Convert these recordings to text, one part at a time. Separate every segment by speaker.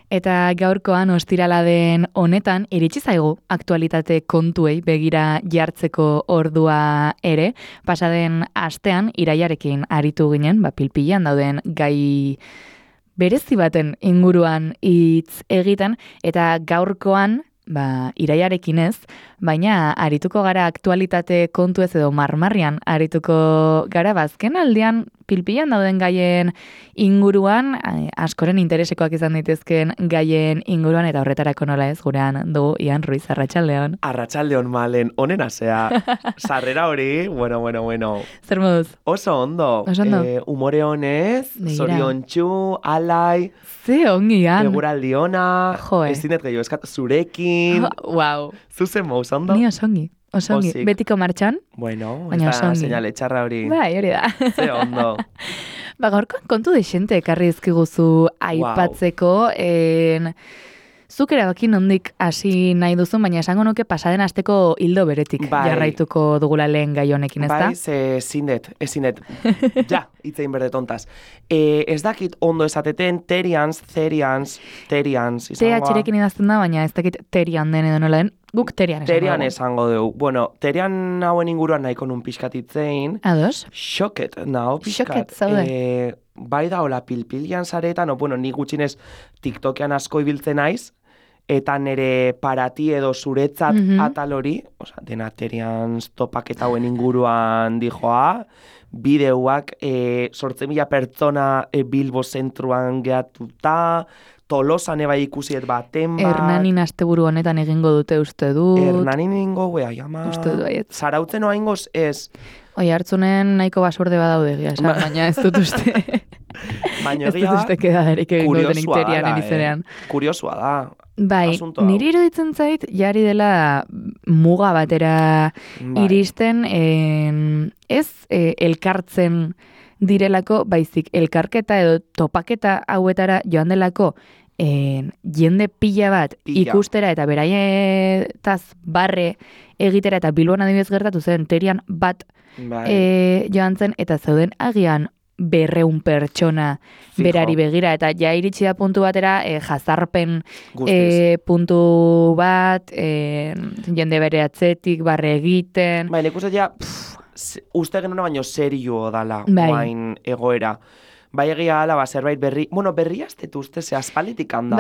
Speaker 1: Eta gaurkoan ostirala den honetan iritsi zaigu aktualitate kontuei begira jartzeko ordua ere. Pasaden astean iraiarekin aritu ginen, pilpilan dauden gai berezi baten inguruan hitz egiten, eta gaurkoan iraiarekin ez, baina arituko gara aktualitate kontu ez edo marmarrian arituko gara, azken aldean pilpilan dauden gaien inguruan, askoren interesekoak izan daitezken gaien inguruan, eta horretarako nola ez, gurean dugu Ian Ruiz, arratsaldeon.
Speaker 2: Arratsaldeon Malen, onena zea. Sarrera hori, bueno.
Speaker 1: Zer moduz?
Speaker 2: Oso ondo. Umore honez, zoriontsu, alai.
Speaker 1: Ze ongi, Ian.
Speaker 2: Eguraldi ona, ez dinet gehiago eskat, zurekin.
Speaker 1: Wow.
Speaker 2: Zuzen mouz, ondo?
Speaker 1: Ni osongi. Osongi, betiko martxan.
Speaker 2: Bueno, ez da seinale txarra hori.
Speaker 1: Hori da.
Speaker 2: Ze ondo.
Speaker 1: Gaurkoan kontu desente ekarri ezkiguzu aipatzeko. Zuk erabaki nondik hasi nahi duzu, baina esango nuke pasaden asteko hildo beretik jarraituko dugula lehen gai honekin, ez da?
Speaker 2: Ezinet. Ja, itzein berde tontaz. Ez dakit ondo esateten, terians, izangoa.
Speaker 1: TH-rekin idazten da, baina ez dakit terian den edo nola den. Guk terian esango.
Speaker 2: Terian esango dugu. Bueno, terian hauen inguruan nahiko nun pixkatitzein.
Speaker 1: Ados?
Speaker 2: Xoket, nao pixkat.
Speaker 1: Xoket, zaude.
Speaker 2: Bai da, hola, pilpilian zaretan, ni gutxinez TikTokean asko ibiltzen naiz, eta nere parati edo zuretzat atal hori, dena terian topaketa hauen inguruan dijoa, bideuak 8.000 pertsona Bilbo zentruan gehatuta, Tolosan eba ikusiet baten bat.
Speaker 1: Hernanin asteburu honetan egingo dute uste dut.
Speaker 2: Hernanin egingo, ama.
Speaker 1: Uste dut baiet.
Speaker 2: Zarautzen oa ingoz ez.
Speaker 1: Oi, hartzunen nahiko basurde badaude egia, baina ez dut uste.
Speaker 2: Baina
Speaker 1: ez dut uste kedaderik egingo denik terian erizerean.
Speaker 2: Kuriosua da.
Speaker 1: Bai, niri iruditzen zait, jari dela muga batera iristen, ez elkartzen direlako, baizik elkarketa edo topaketa hauetara joan delako jende pila bat ikustera eta beraietaz barre egitera, eta Bilbon adibidez gertatu zen terian bat joan zen, eta zeuden agian 200 pertsona berari begira, eta ja iritsi da puntu batera jazarpen puntu bat, jende bere atzetik barre egiten.
Speaker 2: Bai, nik uste ja uste genuna baino serio dala guain egoera. Bai egia ala, zerbait berri, berri aztetu uste, ze aspalitik handa.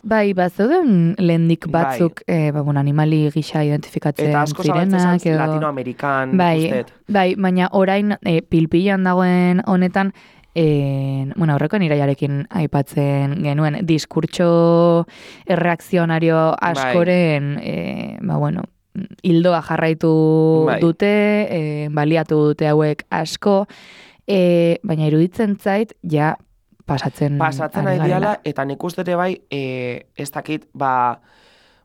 Speaker 1: Bai, zeuden lehendik batzuk, animali gisa identifikatzen zirenak.
Speaker 2: Eta asko zabaltzen Latinoamerikan, ustet.
Speaker 1: Bai, baina orain pilpilan dagoen honetan, horrekoen iraiarekin aipatzen genuen, diskurtso erreakzionario askoren, hildoa jarraitu dute, baliatu dute hauek asko, baina iruditzen zait, ja pasatzen
Speaker 2: ari diala, eta nik ustete bai, ez dakit,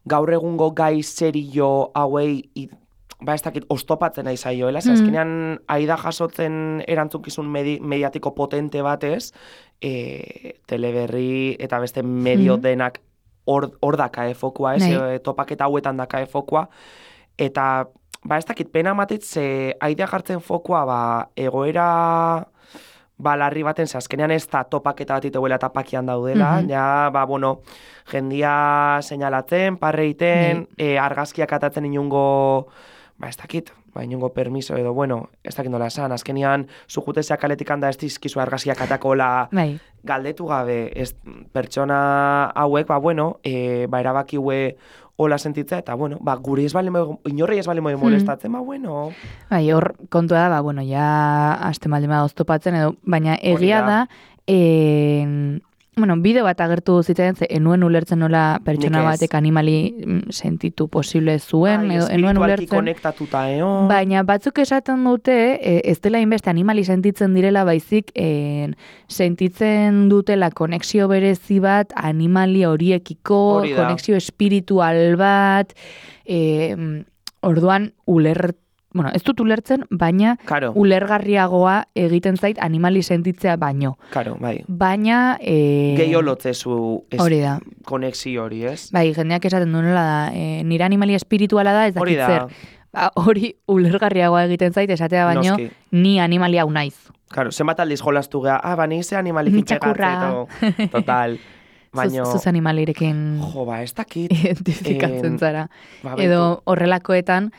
Speaker 2: gaur egungo gai serio hauei, ez dakit, ostopatzen nahi zaioela, azkenean aida jasotzen erantzukizun mediatiko potente batez, teleberri eta beste medio denak hor daka fokua, topaketa hauetan daka fokua, eta ez dakit pena matit, ze aidea jartzen fokua egoera larri baten, ze azkenean ez da topaketa bat iteguela eta pakian daudela, jendia seinalatzen, parreiten, argazkiak atatzen inungo, ez dakit, inungo permiso edo, ez dakit nola esan, azkenean zujutezeak kaletik handa ez dizkizu argazkiak atakola galdetu gabe, pertsona hauek, erabaki hue hola sentitza, eta, guri ez inorrei ez bali molestatzen,
Speaker 1: Bai, hor kontua da, ja aste maldima oztopatzen edo, baina egia da, bideo bat agertu zitzen, enuen ulertzen nola pertsona batek animali sentitu posible zuen, edo enuen ulertzen.
Speaker 2: Konektatuta,
Speaker 1: Baina batzuk esaten dute, ez dela inbeste animali sentitzen direla, baizik sentitzen dutela konexio berezi bat, animali horiekiko, konexio espiritual bat, orduan ez dut ulertzen, baina ulergarriagoa egiten zait animali sentitzea baino. Baina
Speaker 2: gehiago lotzezu konexio hori, ez?
Speaker 1: Bai, jendeak esaten duela da, nire animali espirituala da, ez dakit zer. Hori ulergarriagoa egiten zait, esatea baino, ni animali hau naiz.
Speaker 2: Zenbat aldiz jolastu geha, ni ze animalik itxegartzeto. Total.
Speaker 1: Zuz animalirekin
Speaker 2: jo, ba, ez dakit.
Speaker 1: identifikatzen zara. Edo horrelakoetan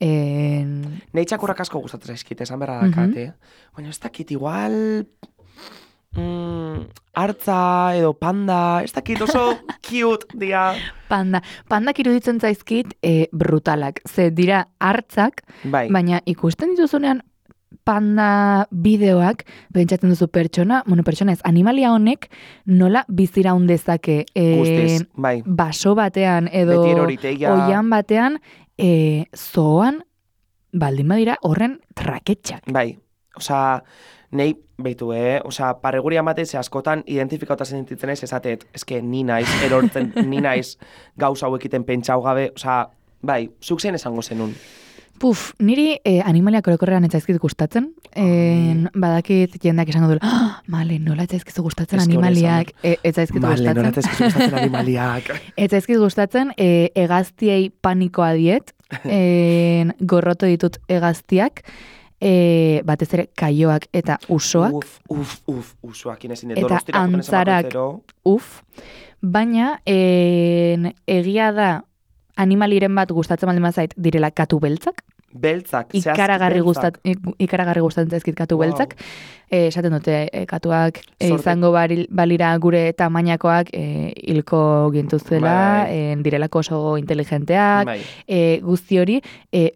Speaker 2: Nei txakurrak asko gustatzen zaizkit, esan berra dakate. Baina ez dakit, igual hartza edo panda, ez dakit oso cute dia.
Speaker 1: Pandak iruditzen zaizkit brutalak. Ze dira hartzak, baina ikusten dituzunean panda bideoak, pentsatzen duzu pertsona ez, animalia honek nola biziraun dezake baso batean edo oian batean zoan baldin badira horren traketxak.
Speaker 2: Bai, osea, nei, beitu, osea, parreguri amatez askotan identifikauta sentitzen ez, esatet, eske ni naiz, erortzen, ni naiz gauza hauekiten pentsau gabe, osea, bai, zuk zen esango zenun.
Speaker 1: Niri animaliak orokorrean etzaizkit gustatzen. Badakit jendeak esango duela, male, nola etzaizkizu gustatzen animaliak. Etzaizkit gustatzen.
Speaker 2: Male, nola etzaizkizu gustatzen animaliak.
Speaker 1: Etzaizkit gustatzen, hegaztiei panikoa diet. Gorroto ditut hegaztiak. Batez ere kaioak eta usoak.
Speaker 2: Usoak inezin.
Speaker 1: Eta antzarak, baina egia da animaliren bat gustatzen baldin bazait direla katu beltzak.
Speaker 2: Beltzak,
Speaker 1: ikaragarri gustatzen zaizkit katu beltzak. Esaten dute katuak izango balira gure tamainakoak hilko gintuzela, direlako oso inteligenteak, guzti hori,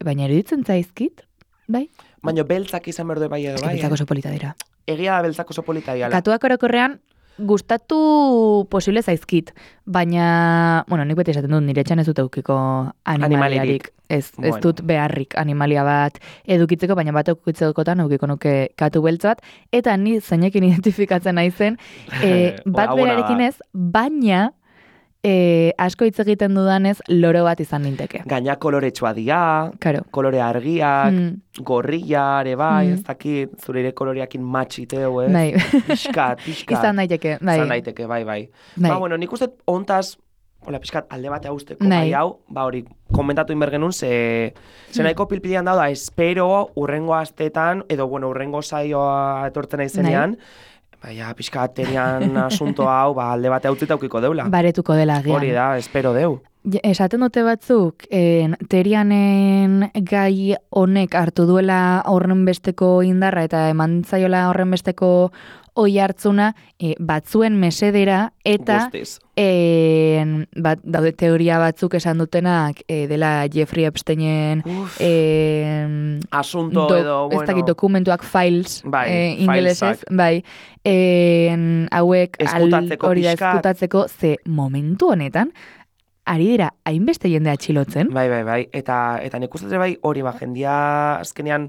Speaker 1: baina eruditzen zaizkit, bai?
Speaker 2: Baina beltzak izan berdu bai edo bai.
Speaker 1: Beltzak oso polita dira.
Speaker 2: Egia da beltzak oso polita dira.
Speaker 1: Katuak orokorrean gustatu posible zaizkit, baina, nik beti esaten dut, nire etxan ez dut eukiko animaliarik. Ez dut beharrik animalia bat edukitzeko, baina bat eukitzekotan eukiko nuke katu beltz bat, eta ni zeinekin identifikatzen naizen, bat berarekin ez, baina asko hitz egiten dudanez loro bat izan ninteke.
Speaker 2: Gaina koloretsua dira, kolore argiak, gorria, ere bai, ez dakit, zure ere koloreakin matxiteu, ez?
Speaker 1: Bai.
Speaker 2: Piskat.
Speaker 1: Izan daiteke, bai.
Speaker 2: Izan daiteke, bai. Ba, bueno, nik uste ontaz, piskat, alde batea usteko, bai hau, ba hori, komentatu inbergenun, ze nahiko pilpilian da, espero, urrengo astetan, edo, bueno, urrengo saioa etortzen aizenean, baina, pixka, terian asunto hau, alde batea utzita aukiko deula.
Speaker 1: Baretuko dela, gian.
Speaker 2: Hori da, espero deu.
Speaker 1: Esaten dute batzuk, terianen gai honek hartu duela horren besteko indarra eta eman zaiola horren besteko oi hartzuna batzuen mesedera eta daude teoria batzuk esan dutenak dela Jeffrey Epsteinen
Speaker 2: asunto edo, bueno,
Speaker 1: ez dakit dokumentuak files ingelesez, bai, hauek hori da eskutatzeko, ze momentu honetan ari dira hainbeste jende atxilotzen.
Speaker 2: Bai, eta nik uste bai hori jendia azkenean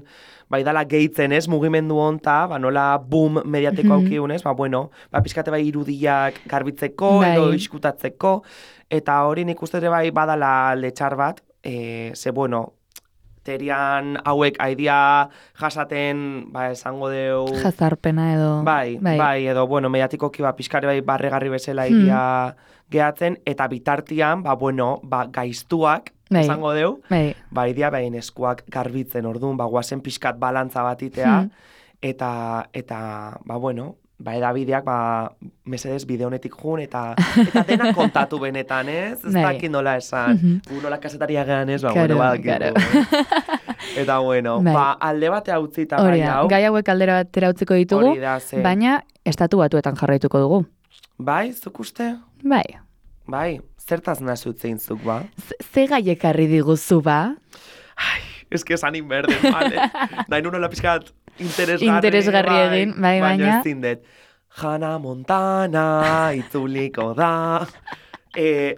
Speaker 2: bai dala gehitzen ez, mugimendu honta, nola boom mediateko aukiunez, bueno, pixkate bai irudiak garbitzeko, edo iskutatzeko, eta hori nik uste bai badala letxar bat, ze bueno, terian hauek aidia jasaten, esango deu...
Speaker 1: Jazarpena edo...
Speaker 2: Bai, edo, bueno, mediatikoki pixkare bai barregarri bezala aidia gehatzen, eta bitartian, gaiztuak, esango deu, aidia behin eskuak garbitzen orduan, guazen pixkat balantza bat itea, eta bueno, edabideak, mesedez bide honetik jun, eta dena kontatu benetan, ez? Ez dakit nola esan. Nola kasetaria gehan ez, eta bueno, alde batea utzita gai hau.
Speaker 1: Gai hauek aldera batera utziko ditugu, baina estatu batuetan jarraituko dugu.
Speaker 2: Bai, zuk uste? Bai, zertaz nazi utzein zuk, ba?
Speaker 1: Ze gaiekarri diguzu, ba?
Speaker 2: Ai, eske esan inberden, vale. Nahi nunola pixkat
Speaker 1: interesgarri egin, baina
Speaker 2: ez zindet. Hannah Montana, itzuliko da.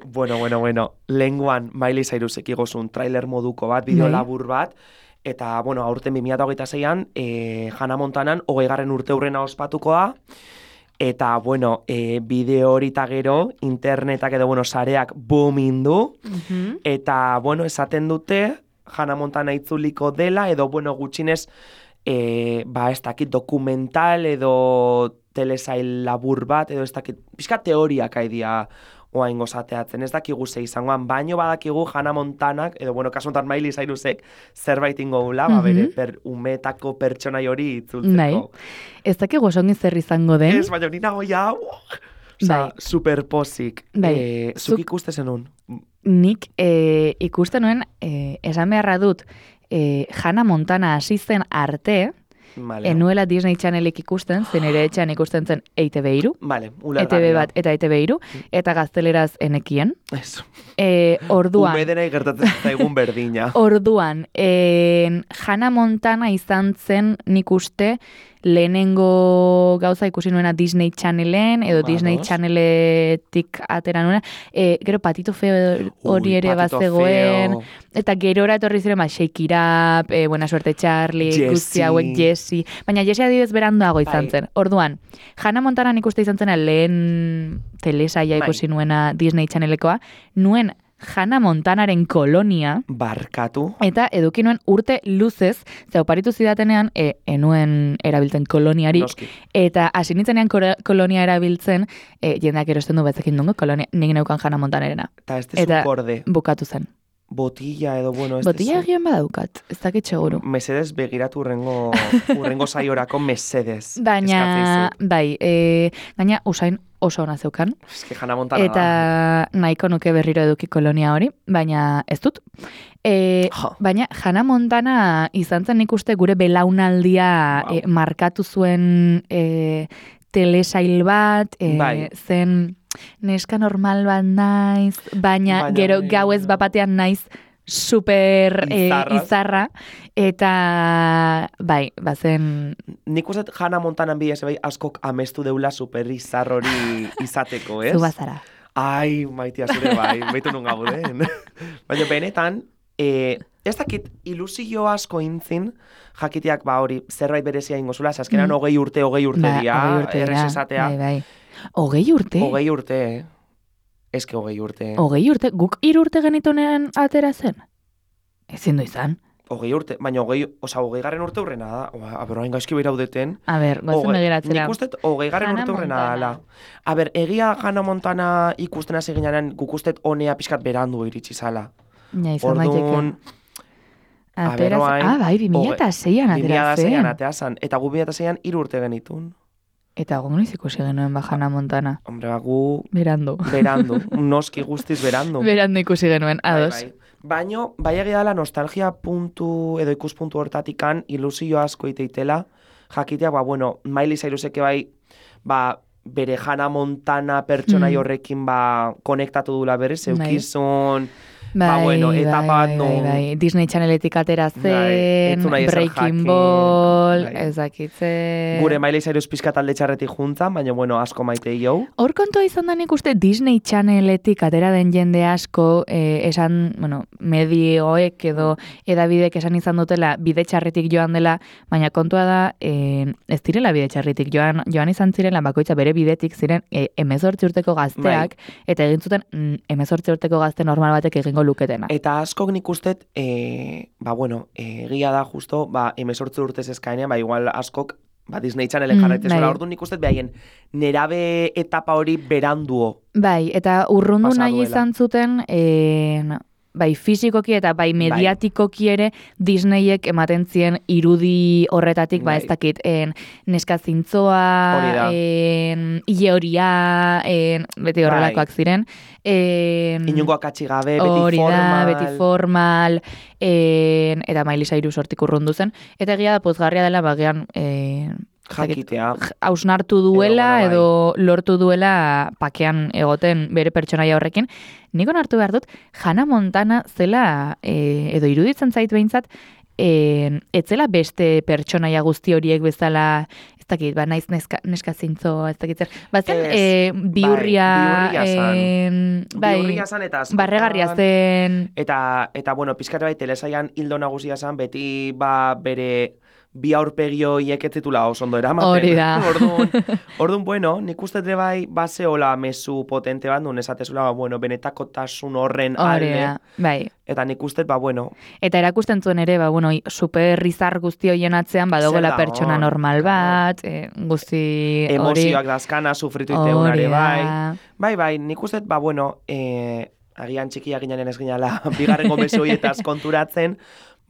Speaker 2: Bueno, lenguan Miley Cyrusek igozun trailer moduko bat, bideo labur bat, eta, bueno, aurten 2026an, Hannah Montanan 20. urte hurrena ospatuko da, eta, bueno, bideo hori eta gero, internetak edo, bueno, sareak boomin du, eta, bueno, esaten dute, Hannah Montana itzuliko dela, edo, bueno, gutxinez, ez dakit dokumental edo telesail labur bat, edo ez dakit, pixka teoriak aidia oain gozateatzen, ez dakigu ze izangoan, baino badakigu Hannah Montanak, edo bueno, kasuntan Miley Cyrusek zerbait ingo gula, bere umetako pertsonai hori itzultzeko.
Speaker 1: Ez dakigu osongi zer izango den.
Speaker 2: Ez, baina nina goia, Osa, superpozik. Zuk ikuste zenun?
Speaker 1: Nik ikusten nuen, esan beharra dut, Hannah Montana hasi zen arte, enuela Disney Channelek ikusten, zen ere etxean ikusten zen ETV3, ETV bat eta ETV3, eta gazteleraz enekien.
Speaker 2: Eso.
Speaker 1: Orduan.
Speaker 2: Umedenei gertatzen zaigun berdina.
Speaker 1: Orduan, Hannah Montana izan zen nik uste lehenengo gauza ikusi nuena Disney Channelen, edo Disney Channeletik atera nuena. Gero Patito Feo hori ere bazegoen. Eta gerora etorri ziren, Shake It Up, Buena Suerte Charlie, guzti hauek Jessie. Baina Jessie adibidez beranduago izan zen. Orduan, Hannah Montana nik uste izan zena lehen telesaia ikusi nuena Disney Channelekoa, nuen Hannah Montanaren kolonia.
Speaker 2: Barkatu.
Speaker 1: Eta eduki nuen urte luzez, ze oparitu zidatenean, enuen erabiltzen koloniari.
Speaker 2: Noski.
Speaker 1: Eta hasi nintzenean kolonia erabiltzen, jendeak erosten du betzekin dungo, kolonia, nik neukan Hannah Montanarena.
Speaker 2: Eta korde.
Speaker 1: Bukatu zen.
Speaker 2: Botilla edo, bueno...
Speaker 1: Botilla egin badaukat, ez dakit seguru.
Speaker 2: Mesedez begiratu urrengo saiorako mesedez.
Speaker 1: Baina, bai, gaina usain oso ona zeukan.
Speaker 2: Eske Hannah Montana
Speaker 1: eta nahiko nuke berriro eduki kolonia hori, baina ez dut. Baina Hannah Montana izan zen nik uste gure belaunaldia markatu zuen telesail bat, zen neska normal bat naiz, baina gero gauez bapatean naiz super izarra, eta bai, bazen...
Speaker 2: Nik uste Hannah Montanan bidez bai askok amestu deula super izar hori izateko, ez?
Speaker 1: Zu bazara.
Speaker 2: Ai, maitia zure bai, baitu nun gauden. Baina benetan, ez dakit ilusio asko intzin, jakiteak ba hori zerbait berezia ingozula, azkenan 20 urte dira, errez esatea.
Speaker 1: Bai. 20 urte?
Speaker 2: 20 urte, Eske 20 urte.
Speaker 1: 20 urte? Guk 3 urte genitunean atera zen? Ezin du izan.
Speaker 2: 20 urte, baina 20 garren urte hurrena da. Hain gaizki behiraudeten.
Speaker 1: A ber, gozen begiratzera.
Speaker 2: Nik ustet 20 garren urte hurrena dala. A ber, egia Hannah Montana ikusten hasi ginean, guk ustet honea pixkat berandu iritsi zala.
Speaker 1: Ja, izan daiteke. Bai, 2006an atera zen.
Speaker 2: 2006an atera zen. Eta gu 2006an 3 urte genitun.
Speaker 1: Eta gongo ikusi genuen Hannah Montana.
Speaker 2: Hombre, gu...
Speaker 1: Berandu.
Speaker 2: Noski guztiz berandu.
Speaker 1: Berandu ikusi genuen, ados.
Speaker 2: Baina, bai egia dela nostalgia puntu edo ikuspuntu hortatikan ilusio asko iteitela, jakitea, bueno, Miley Cyruseke bai, bere Hannah Montana pertsonai horrekin konektatu dula berez, eukizun... etapa bat
Speaker 1: Bai. Disney Channeletik atera zen, Breaking Ball, ezakitzen...
Speaker 2: Gure Miley Cyrus pizka talde txarretik juntzan, baina, asko maite jau.
Speaker 1: Hor kontua izan da nik uste Disney Channeletik atera den jende asko, esan, medioek edo edabidek esan izan dutela bide txarretik joan dela, baina kontua da, ez direla bide txarretik joan izan zirela, bakoitza bere bidetik ziren 18 urteko gazteak, eta egin zuten 18 urteko gazte normal batek egingo luketena.
Speaker 2: Eta askok nik ustet, egia da justo, 18 urtez eskaenean, igual askok, Disney Channelen jarraitezela, orduan nik ustet behaien nerabe etapa hori beranduo.
Speaker 1: Bai, eta urrundu nahi izan zuten, bai fisikoki eta bai mediatikoki ere Disneyek ematen zien irudi horretatik, ez dakit, neska zintzoa, ile horia, beti horrelakoak ziren.
Speaker 2: Inungo akatsi gabe, beti formal.
Speaker 1: Eta Miley Cyrus hortik urrundu zen. Eta egia da pozgarria dela, bagean...
Speaker 2: jakitea.
Speaker 1: Hausnartu duela edo lortu duela pakean egoten bere pertsonaia horrekin. Nik onartu behar dut, Hannah Montana zela, edo iruditzen zait behintzat, etzela beste pertsonaia guzti horiek bezala, ez dakit, naiz neska zintzo, ez dakit zer. Bazen, biurria
Speaker 2: zan eta askotan.
Speaker 1: Barregarria zen.
Speaker 2: Eta pizkate bai, telesaian hildo nagusia zan, beti bere... bi aurpegio ieketzitula oso ondo eramaten.
Speaker 1: Hori da.
Speaker 2: Orduan, nik uste bai, baseola mezu potente bat, nun esatezula, benetakotasun horren alde.
Speaker 1: Bai.
Speaker 2: Eta nik uste,
Speaker 1: Eta erakusten zuen ere, super rizar guzti hoien atzean, badogela pertsona normal bat, guzti hori.
Speaker 2: Emozioak dazkana, sufritu iteunare, bai. Bai, nik uste, agian txikia ginen ez ginala, bigarrengo mezuietaz konturatzen,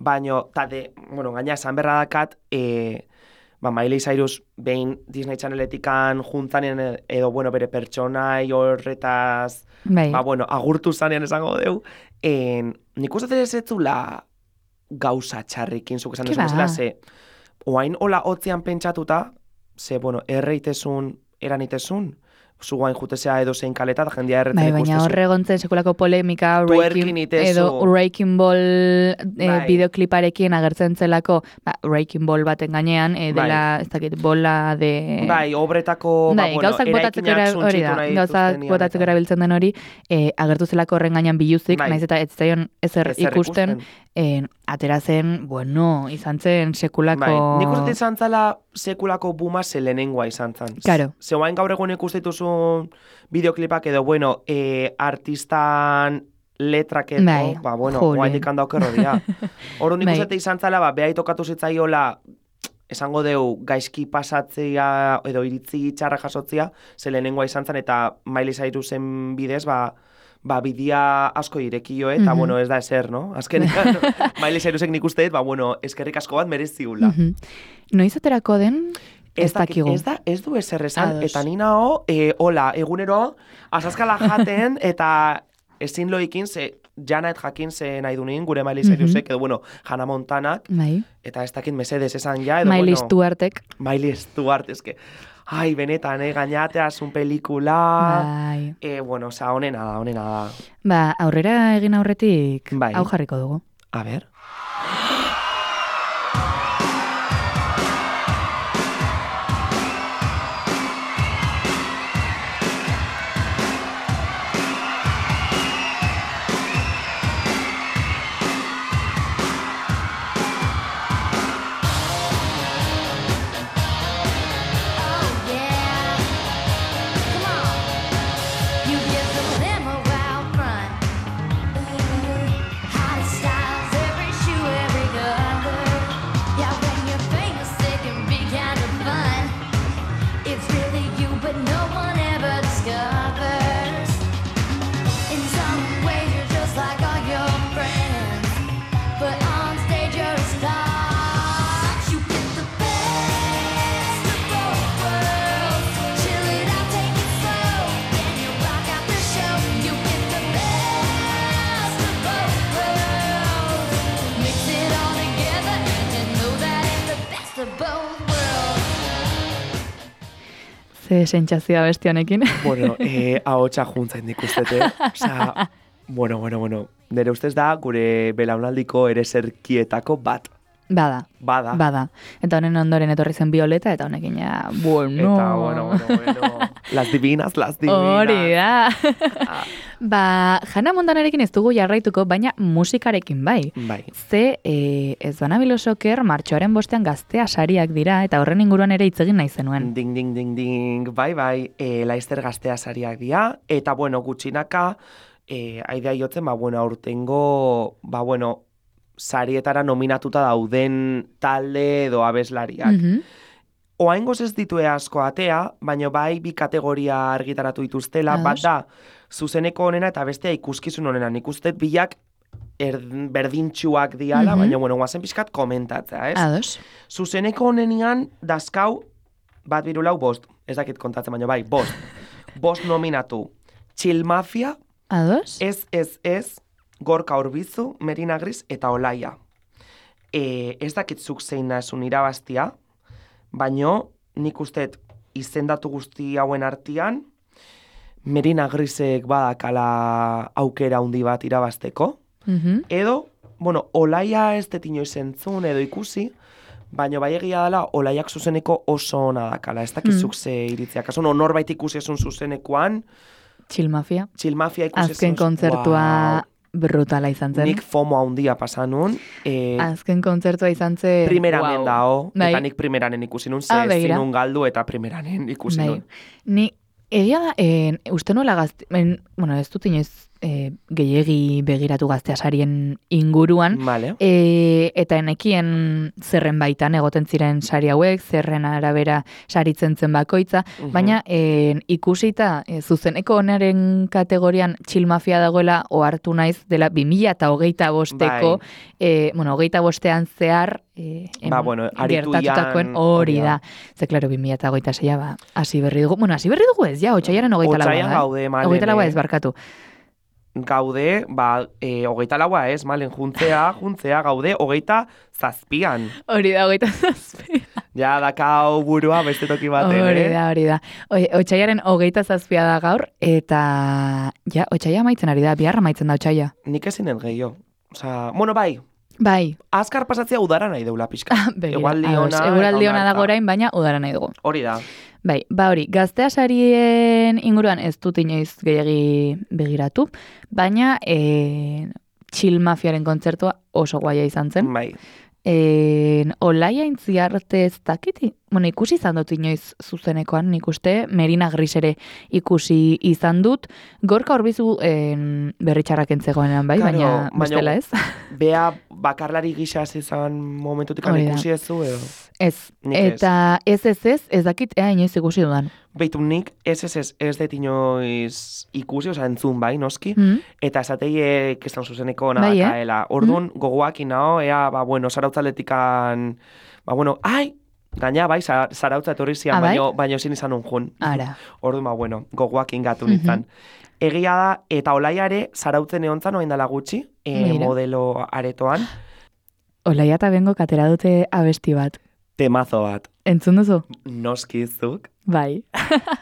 Speaker 2: baina, gaina esan berra dakat, Miley Cyrus behin Disney Channeletikan juntzanen edo, bueno, bere pertsonai horretaz, agurtu zanean esango deu, nik uste ez etzula gauza txarrikin, zuk esan duzela, ze, oain hola hotzean pentsatuta, ze, bueno, eranitezun, zu guain jutezea edo zein kaleta, da jendia erretzen ikustezu.
Speaker 1: Baina horregontzen sekulako polemika, Wrecking Ball bideokliparekin agertzen zelako, Wrecking Ball baten gainean, dela, ez dakit, bola de...
Speaker 2: obretako,
Speaker 1: gauzak botatzeko erabiltzen den hori, agertu zelako horren gainean biluzik, naiz eta ez zaion ezer ikusten, atera zen, izan zen sekulako...
Speaker 2: Nik uste izan zela sekulako buma lehenengoa izan zen.
Speaker 1: Claro.
Speaker 2: Zeuain gaur egun ikustituzu bideoklipak edo, artistan letrak edo, guain dikanda okerro dira. Hor nik uste izan zela, behai tokatu zitzaiola, esango deu, gaizki pasatzea edo iritzi txarra jasotzea, lehenengoa izan zen, eta Miley Cyrusen bidez, bidia asko irekio, eta, ez da ezer, no? Azkenean, Miley Cyrusek nik usteet, eskerrik asko bat mereziula.
Speaker 1: Noiz aterako den, ez dakigu.
Speaker 2: Ez du ezer esan, eta nina hola, egunero, azazkala jaten, eta ezin loikin, jana jakin ze nahi dunin, gure Miley Cyrusek, edo, Hannah Montanak, eta ez dakit mesedez esan ja, edo,
Speaker 1: Miley Stuartek.
Speaker 2: Miley Stuart, eske... Ai, benetan, gainateaz un pelikula... honena da.
Speaker 1: Aurrera egin aurretik, hau jarriko dugu.
Speaker 2: A ber...
Speaker 1: Ze sentsazioa beste honekin.
Speaker 2: Ahotsa juntzen ikustete. Osea, nire ustez da gure belaunaldiko ere zerkietako bat.
Speaker 1: Bada. Eta honen ondoren etorri zen Violeta, eta honekin ja,
Speaker 2: Eta, Las divinas.
Speaker 1: Hori da. Hannah Montanarekin ez dugu jarraituko, baina musikarekin bai. Ze, ez banabilo soker, martxoaren 5 gaztea sariak dira, eta horren inguruan ere hitz egin nahi zenuen.
Speaker 2: Ding. Bai. Laizter gaztea sariak dira, eta, gutxinaka, aidea jotzen, aurtengo, sarietara nominatuta dauden talde edo abeslariak. Oaingoz ez ditue asko atea, baina bai bi kategoria argitaratu dituztela, bat da zuzeneko honena eta bestea ikuskizun honena. Nik uste bilak berdintxuak diala, baina guazen pixkat komentatzea, ez?
Speaker 1: Ados.
Speaker 2: Zuzeneko honenian dazkau bat birulau 5, ez dakit kontatzen, baina bai, 5. 5 nominatu. Chill Mafia,
Speaker 1: Ados.
Speaker 2: Ez, Gorka Urbizu, Merina Gris eta Olaia. Ez dakitzuk zein nazun irabaztia, baina nik usteet izendatu guzti hauen artean, Merina Grisek badakala aukera handi bat irabazteko. Edo, Olaia ez detino izentzun edo ikusi, baina bai egia dela Olaiak zuzeneko oso ona dakala. Ez dakitzuk ze iritzea. Kaso norbait ikusi esun zuzenekoan.
Speaker 1: Chill Mafia
Speaker 2: ikusi esun.
Speaker 1: Azken kontzertua brutala izan zen.
Speaker 2: Nik FOMO handia pasanun.
Speaker 1: Azken kontzertua izan zen...
Speaker 2: Primeranen dao, eta nik primeranen ikusi nun, zinun galdu eta primeranen ikusi nun.
Speaker 1: Ni, egia da, uste nola ez dut inoiz gehiegi begiratu Gaztea sarien inguruan,
Speaker 2: vale.
Speaker 1: Eta enekien zerren baitan egoten ziren sari hauek, zerren arabera saritzen zen bakoitza, baina ikusita zuzeneko onaren kategorian Chill Mafia dagoela ohartu naiz dela 2025eko, bueno, 25ean zehar gertatutakoen hori da. Ze, klaro, 2026 hasi berri dugu. Bueno, hasi berri dugu ez, ja, otxaiaren 24.
Speaker 2: Otxaian gaude, malen.
Speaker 1: 24 ez, barkatu.
Speaker 2: Gaude, 24 ez, malen, juntzea, gaude, 27.
Speaker 1: Hori da, 27.
Speaker 2: Ja, dakau burua beste toki baten,
Speaker 1: Hori da. Otxaiaren 27 da gaur, eta, ja, otxaia maitzen ari da, biharra maitzen da otxaia.
Speaker 2: Nik ezinen gehiago. Osa, bueno, bai. Azkar pasatzea udara nahi deula pixka.
Speaker 1: Eguraldi ona dago orain, baina udara nahi dugu.
Speaker 2: Hori da.
Speaker 1: Bai, hori, Gaztea sarien inguruan ez dut inoiz gehiagi begiratu, baina Chill Mafiaren kontzertua oso guaia izan zen.
Speaker 2: Bai.
Speaker 1: Olaia intziarte ez dakiti? Bueno, ikusi izan dut inoiz zuzenekoan, nik uste, Merina Gris ere ikusi izan dut, Gorka Orbizu berritxarrak entzegoenean bai, baina bestela ez.
Speaker 2: Bea bakarlari gisa izan momentutik ikusi ez zu, edo?
Speaker 1: Ez, eta ez dakit inoiz ikusi dudan.
Speaker 2: Beitu nik ez dut inoiz ikusi, oza, entzun bai, noski, eta esatei kestan zuzeneko nada Orduan, gogoak inao, zarautzaletikan, gaina, bai, zarautza etorri zian, baino ezin izan unjun. Orduan, gogoak ingatu nintzen. Egia da, eta Olaiare zarautzen eontzan, oain dela gutxi, modelo aretoan.
Speaker 1: Olaia eta bengo katera dute abesti bat.
Speaker 2: Temazo bat.
Speaker 1: Entzun duzu?
Speaker 2: Noski zuk.
Speaker 1: Bai.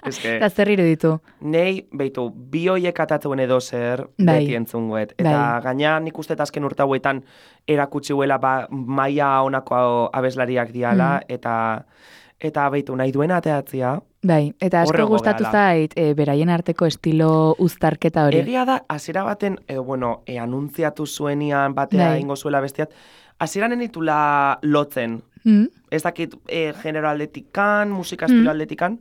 Speaker 1: Eta zer iruditu?
Speaker 2: Nei, beitu, bi hoiek atatzen edo zer beti entzunguet. Eta gaina nik uste azken urte hauetan erakutsi huela maia honako abeslariak diala, eta beitu, nahi duena ateatzia.
Speaker 1: Bai, eta asko gustatu zait, beraien arteko estilo uztarketa hori.
Speaker 2: Egia da, hasiera baten, anuntziatu zuenian batea ingo zuela bestiat, hasieran enitula lotzen. Ez dakit genero aldetikan, musika estilo aldetikan,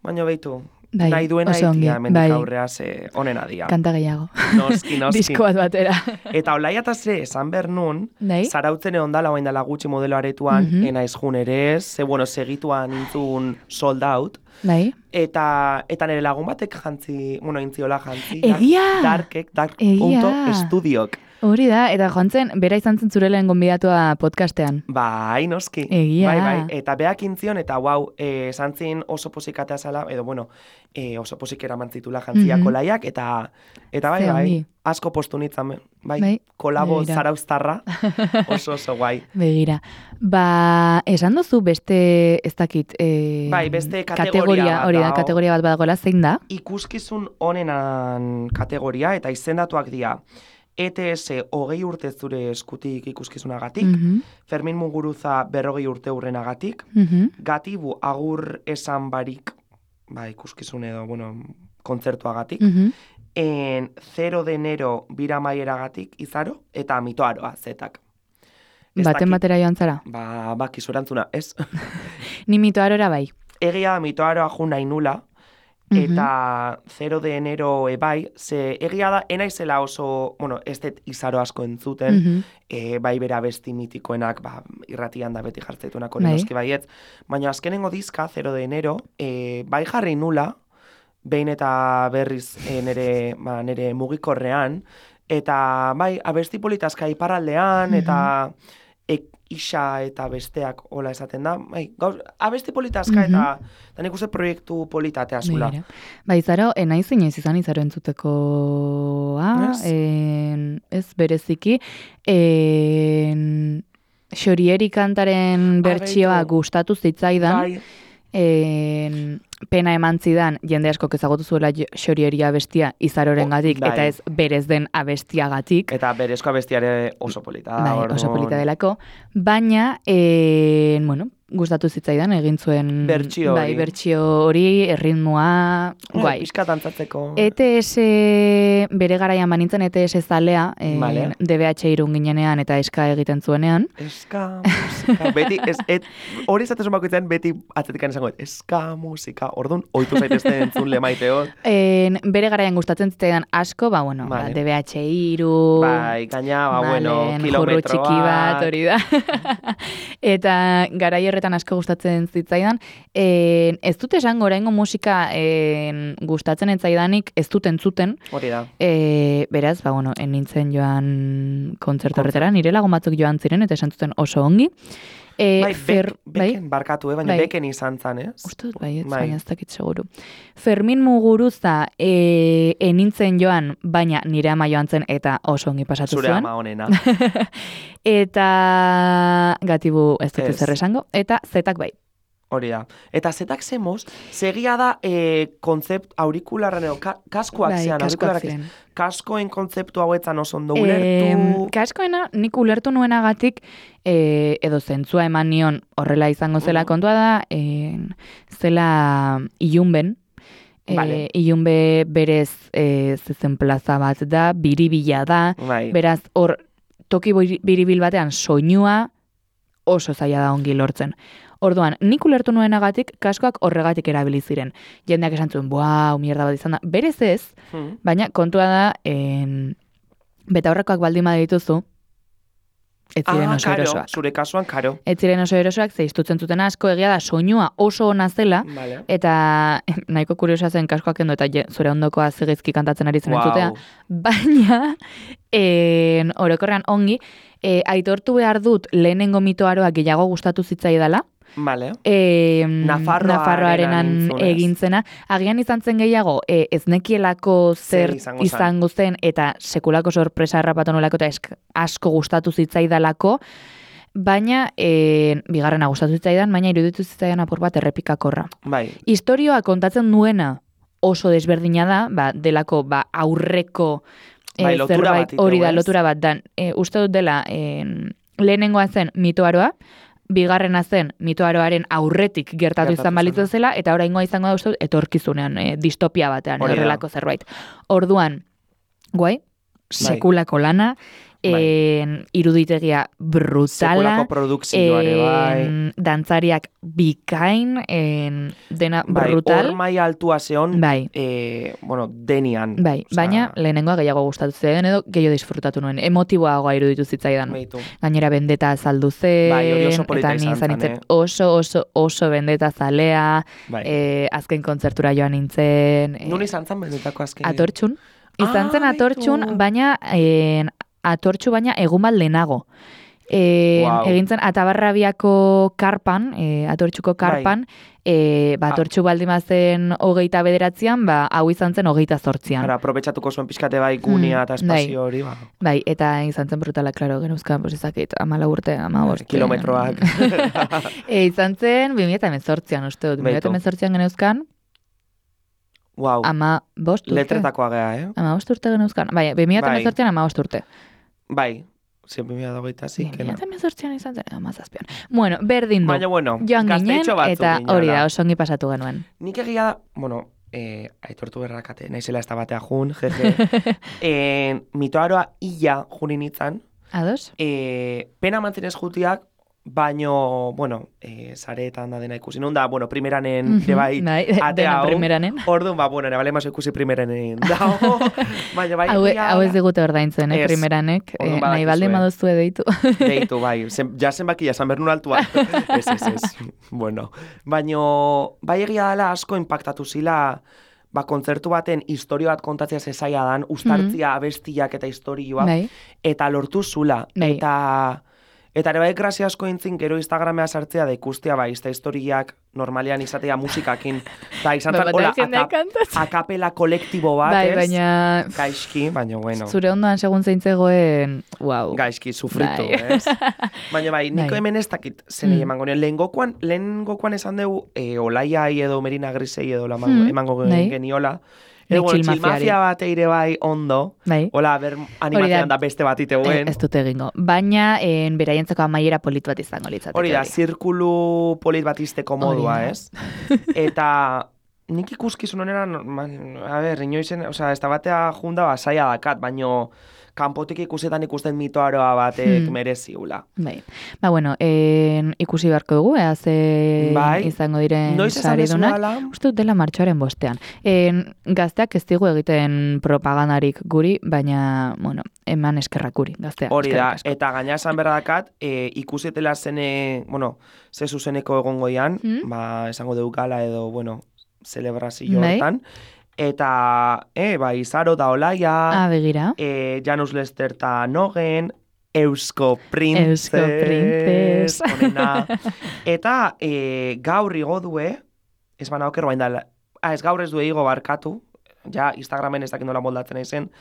Speaker 2: baina beitu, nahi duena itia, mendik aurreaz onena dia.
Speaker 1: Kanta gehiago.
Speaker 2: Noski.
Speaker 1: Disko bat batera.
Speaker 2: Eta Olaia eta esan behar zarautzen egon dala, oain dala gutxi modelo aretuan, enaiz jun ere, segituan intzun sold out. Eta nire lagun batek intziola jantzi.
Speaker 1: Egia!
Speaker 2: Dark.studiok.
Speaker 1: Hori da, eta joan zen, bera izan zen zure lehen gonbidatua podcastean.
Speaker 2: Bai, noski.
Speaker 1: Egia.
Speaker 2: Bai. Eta beak intzion, eta esan zin oso posikatea zala, oso posik eraman zitula jantziak Olaiak, eta bai, asko postu nitzan, bai, kolabo zarauztarra, oso guai.
Speaker 1: Begira. Esan duzu beste, ez dakit,
Speaker 2: beste kategoria
Speaker 1: hori da, kategoria bat badagoela, zein da?
Speaker 2: Ikuskizun onenan kategoria, eta izendatuak dira, ETS 20 urte zure eskutik ikuskizunagatik, Fermin Muguruza 40 urte hurrenagatik, Gatibu agur esan barik, ikuskizun edo, kontzertuagatik, 0 de enero bira maieragatik izaro, eta mitoaroa zetak.
Speaker 1: Baten batera joan zara?
Speaker 2: Kizurantzuna, ez?
Speaker 1: Ni mitoarora bai.
Speaker 2: Egia mitoaroa jun nahi nula, eta 0 de enero bai, ze egia da, enaizela oso, ez dut izaro asko entzuten, bai bera besti mitikoenak, irratian da beti jartzetunak hori noski baietz, baina azkenengo dizka, 0 de enero, bai jarri nula, behin eta berriz nire mugikorrean, eta bai, abesti politazka iparraldean, eta isa eta besteak hola esaten da. Abesti politazka eta nik uste proiektu politatea zula.
Speaker 1: Izaro, naiz inoiz izan izaro entzuteko ez bereziki. Xorieri kantaren bertsioa gustatu zitzaidan. Pena eman zidan, jende asko ezagutu zuela Xorieria abestia izaroren gatik, eta ez berez den abestiagatik.
Speaker 2: Eta berezko abestiare oso polita.
Speaker 1: Oso polita delako. Baina, gustatu zitzaidan egin zuen
Speaker 2: bertsio
Speaker 1: hori, erritmoa, guai.
Speaker 2: Piskat antzatzeko.
Speaker 1: ETS bere garaian banintzen ETS zalea, DBH irun ginenean eta eska egiten zuenean.
Speaker 2: Eska musika. Beti, hori zatezun bakoitzen, beti atzetikan izango, eska musika. eta orduan, ohitu zaitezte entzun lemaiteot.
Speaker 1: Bere garaian gustatzen zitzaidan asko, vale. DBH3,
Speaker 2: bai, gaina,
Speaker 1: kilometroa, txiki bat, hori da. Eta garai horretan asko gustatzen zitzaidan. Ez dut esango oraingo musika gustatzen etzaidanik, ez dut entzuten.
Speaker 2: Hori da.
Speaker 1: Beraz, nintzen joan kontzertu horretara, nire lagun batzuk joan ziren, eta esan zuten oso ongi.
Speaker 2: Beken barkatu, baina beken izan zan, ez?
Speaker 1: Uste dut, baina ez dakit seguru. Fermin Muguruza nintzen joan, baina nire ama joan zen eta oso ongi pasatu zuen.
Speaker 2: Zure ama honena.
Speaker 1: Eta Gatibu ez dut zer esango, eta Zetak bai.
Speaker 2: Hori da. Eta Zetak zemoz, segia da konzept aurikularren edo kaskoak zean, aurikularrak ez. Kaskoen kontzeptu hauetan oso ondo ulertu.
Speaker 1: Kaskoena nik ulertu nuenagatik edo zentzua eman nion horrela izango zela kontua da, zela ilunben. Ilunbe berez zezen plaza bat da, biribila da, beraz hor toki biribil batean soinua oso zaila da ongi lortzen. Orduan, nik ulertu nuenagatik, kaskoak horregatik erabili ziren. Jendeak esan zuen, mierda bat izan da. Berez ez, baina kontua da, betaurrekoak baldin badituzu, ez ziren oso erosoak.
Speaker 2: Zure kasuan, karo.
Speaker 1: Ez ziren oso erosoak, ze iztutzen zuten asko, egia da, soinua oso ona zela, eta nahiko kuriosa zen kaskoak endo, eta zure ondokoa zegizki kantatzen ari zen entzutea, baina, orokorrean ongi, aitortu behar dut lehenengo mitoaroa gehiago gustatu zitzaidala, Nafarroarenan egintzena. Agian izan zen gehiago, ez nekielako zer izango zen, eta sekulako sorpresa harrapatu nolako, eta asko gustatu zitzaidalako, baina, bigarrena gustatu zitzaidan, baina iruditu zitzaidan apur bat errepikakorra. Historioa kontatzen duena oso desberdina da, delako aurreko zerbait hori da, lotura bat da. Uste dut dela, lehenengoa zen mitoaroa, bigarrena zen mitoaroaren aurretik gertatu izan balitu zela, eta oraingoa izango da uste etorkizunean, distopia batean, horrelako zerbait. Orduan, guai, sekulako lana, iruditegia brutala, dantzariak bikain, dena brutal.
Speaker 2: Hor mai altua zeon, denian.
Speaker 1: Baina lehenengoa gehiago gustatu zen, edo gehiago disfrutatu nuen, emotiboagoa iruditu zitzaidan. Gainera bendeta azaldu zen, eta ni izan nintzen oso bendeta zalea, azken kontzertura joan nintzen.
Speaker 2: Nun izan zen bendetako azken?
Speaker 1: Atortxun. Izan zen Atortxun, baina Atortxu baina egun bat lehenago. Egintzen Atabarrabiako karpan, Atortxuko karpan, Atortxu baldimazen 29an, hau izan zen 28an.
Speaker 2: Aprobetxatuko zuen pixkate bai gunia eta espazio hori.
Speaker 1: Bai, eta izan zen brutala, klaro, genuzkan, izakit, 14 urte, 15
Speaker 2: kilometroak.
Speaker 1: Izan zen 2018an, uste dut, 2018an genuzkan,
Speaker 2: Wow.
Speaker 1: 15 urte.
Speaker 2: Letretakoa gea,
Speaker 1: 15 urte genuzkan. Bai, 2018an 15 urte.
Speaker 2: Bai, 2018an
Speaker 1: izan zen, 17an. Bueno, berdin du.
Speaker 2: Baina,
Speaker 1: joan ginen, eta hori da, oso ongi pasatu genuen.
Speaker 2: Nik egia da, aitortu berrakate, naizela ez da batea jun, jeje. Mitoaroa ia junin itzan.
Speaker 1: Ados?
Speaker 2: Pena mantzenez jutiak, baino, sareetan da dena ikusi. Nun da, primeranen, bai, atea hau. Orduan, ere bale maso ikusi primeranen. Baina, bai,
Speaker 1: hau ez digute ordaintzen, primeranek. Nahi baldin baduzu deitu.
Speaker 2: Deitu, bai. Ja zenbaki, jasan bernun altua. Ez. Bueno, baino, bai egia dela asko impactatu zila, kontzertu baten historio bat kontatzea zezaia dan, ustartzia, abestiak eta historioa, eta lortu zula. Eta ere bai grazia asko intzin gero Instagramea sartzea da ikustea izta historiak normalean izatea musikakin. Da izan zan, hola, akapela kolektibo bat, ez?
Speaker 1: Baina...
Speaker 2: Gaizki, baina, bueno.
Speaker 1: Zure ondoan segun zeintzegoen, wow.
Speaker 2: Gaizki, sufritu, ez? Baina, niko hemen ez dakit zenei emango nien. Lehengokoan esan dugu, Olaiai edo Merina Grisei edo emango geniola. Txilmafia bat eire bai ondo. Hola, animazioan da beste bat iteguen.
Speaker 1: Ez dut egingo. Baina, beraientzako amaiera polit bat izango litzateke.
Speaker 2: Hori da, zirkulu polit bat izteko modua, ez? Eta nik ikuskizun honera, a ber, inoizen, osea, ez da batea junda saia dakat, baino kanpotik ikusten mitoaroa batek mereziula.
Speaker 1: Bai. Ba, bueno, ikusi beharko dugu, ze izango diren saridunak. Uste dut dela martxoaren 5. Gazteak ez digu egiten propagandarik guri, baina, bueno, eman eskerrak guri, gazteak.
Speaker 2: Hori da, eta gaina esan berdakat, ikusetela zene, bueno, ze zuzeneko egongoian, ba, esango dugu gala edo, bueno, celebrazio hortan. Eta, Izaro da Olaia,
Speaker 1: begira.
Speaker 2: Janus Lester eta Nogen, Eusko Princess, onena. Eta gaur igo due, ez bana oker bain da, ez gaur ez du igo barkatu, ja Instagramen ez dakit nola moldatzen izen,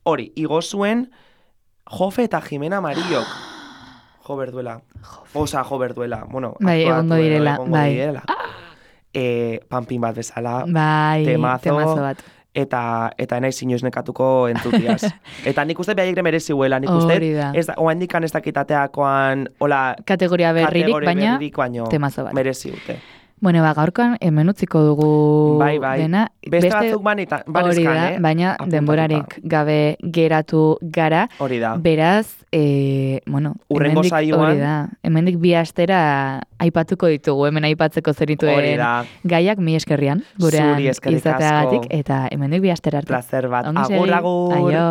Speaker 2: hori, igo zuen Jofe eta Jimena Marillok. Jo berduela. Bueno,
Speaker 1: bai, egongo direla.
Speaker 2: Panpin bat bezala,
Speaker 1: bai, temazo bat.
Speaker 2: Eta naiz inoiz nekatuko entzutiaz. Eta nik uste behaiek merezi huela, nik uste, oandikan ez dakitateakoan, hola,
Speaker 1: kategoria berririk, baina temazo bat.
Speaker 2: Merezi dute.
Speaker 1: Bueno, gaurkoan hemen utziko dugu dena.
Speaker 2: Beste batzuk banezkan,
Speaker 1: baina denborarik gabe geratu gara.
Speaker 2: Hori da.
Speaker 1: Beraz, bueno,
Speaker 2: urrengo saioan.
Speaker 1: Hemendik 2 astera aipatuko ditugu, hemen aipatzeko zenituen gaiak mi eskerrian, gurean izateagatik, eta hemendik 2 astera arte.
Speaker 2: Placer bat. Agur.
Speaker 1: Aio.